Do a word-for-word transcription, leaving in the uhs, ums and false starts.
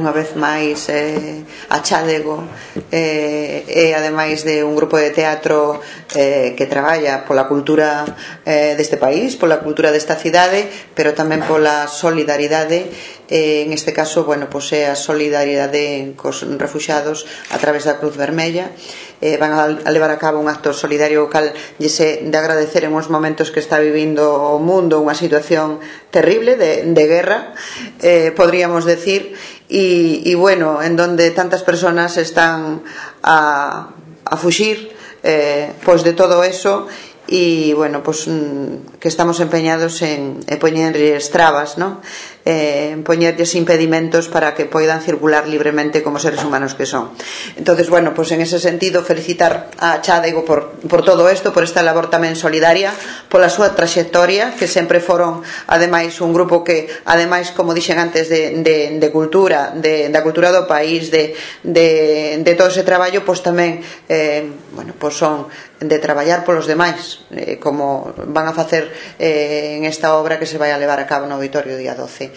unha vez máis eh, a Chádego eh, e ademais de un grupo de teatro eh, que traballa pola cultura eh, deste país, pola cultura desta cidade, pero tamén pola solidaridade, eh, en este caso, bueno, pois é a solidaridade cos refuxiados a través da Cruz Vermella. Eh, van a, a levar a cabo un acto solidario o cal lle se de agradecer en uns momentos que está vivindo o mundo, unha situación terrible de, de guerra, eh, podríamos decir, e, e bueno, en donde tantas personas están a, a fuxir eh, pois de todo eso, e bueno, pois que estamos empeñados en, en poñerlles trabas, ¿no? Eh, en poñerlles impedimentos para que poidan circular libremente como seres humanos que son. Entonces, bueno, pois en ese sentido felicitar a Chádego por, por todo isto, por esta labor tamén solidaria, pola súa traxectoria, que sempre foron ademais un grupo que, ademais, como dixen antes, de, de, de cultura, de, da cultura do país, de, de, de todo ese traballo, pois tamén eh, bueno, pois son de traballar polos demais, eh, como van a facer eh, en esta obra que se vai a levar a cabo no Auditorio día doce.